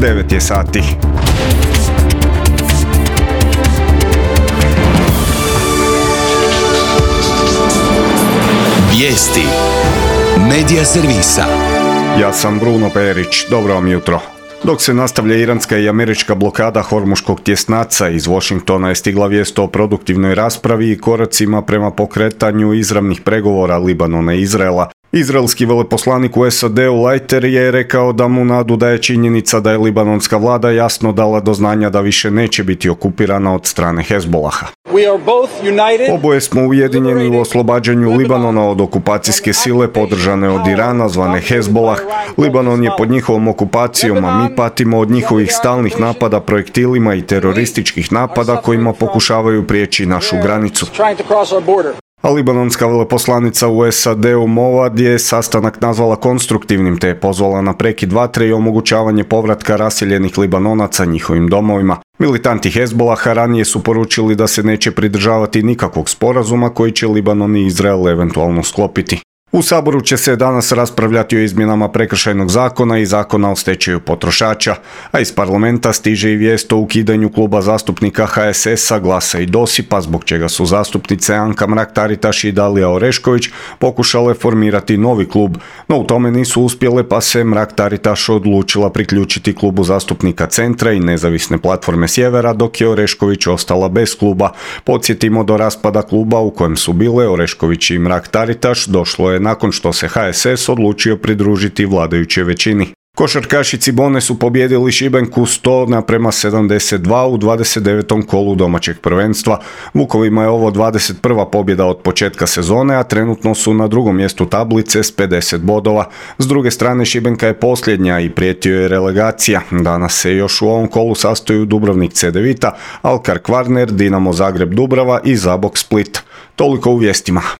9 je sati. Vijesti Medija servisa. Ja sam Bruno Perić, dobro vam jutro. Dok se nastavlja iranska i američka blokada Hormuškog tjesnaca, iz Washingtona je stigla vijest o produktivnoj raspravi i koracima prema pokretanju izravnih pregovora Libanona i Izraela. Izraelski veleposlanik u SAD-u Leiter je rekao da mu nadu daje činjenica da je libanonska vlada jasno dala do znanja da više neće biti okupirana od strane Hezbolaha. Oboje smo ujedinjeni u oslobađanju Libanona od okupacijske sile podržane od Irana, zvane Hezbolah. Libanon je pod njihovom okupacijom, a mi patimo od njihovih stalnih napada projektilima i terorističkih napada kojima pokušavaju prijeći našu granicu. A libanonska veleposlanica u SAD-u Moad je sastanak nazvala konstruktivnim te je pozvala na prekid vatre i omogućavanje povratka raseljenih Libanonaca njihovim domovima. Militanti Hezbolaha ranije su poručili da se neće pridržavati nikakvog sporazuma koji će Libanon i Izrael eventualno sklopiti. U Saboru će se danas raspravljati o izmjenama prekršajnog zakona i zakona o stečaju potrošača, a iz parlamenta stiže i vijest o ukidanju kluba zastupnika HSS-a, Glasa i Dosipa, zbog čega su zastupnice Anka Mrak-Taritaš i Dalija Orešković pokušale formirati novi klub, no u tome nisu uspjele pa se Mrak-Taritaš odlučila priključiti klubu zastupnika Centra i Nezavisne platforme Sjevera, dok je Orešković ostala bez kluba. Podsjetimo, do raspada kluba u kojem su bile Orešković i Mrak-Taritaš došlo je nakon što se HSS odlučio pridružiti vladajućoj većini. Košarkaši Cibone su pobijedili Šibenku 100:72 u 29. kolu domaćeg prvenstva. Vukovima je ovo 21. pobjeda od početka sezone, a trenutno su na drugom mjestu tablice s 50 bodova. S druge strane, Šibenka je posljednja i prijetio je relegacija. Danas se još u ovom kolu sastoju Dubrovnik Cedevita, Alkar Kvarner, Dinamo Zagreb Dubrava i Zabok Split. Toliko u vijestima.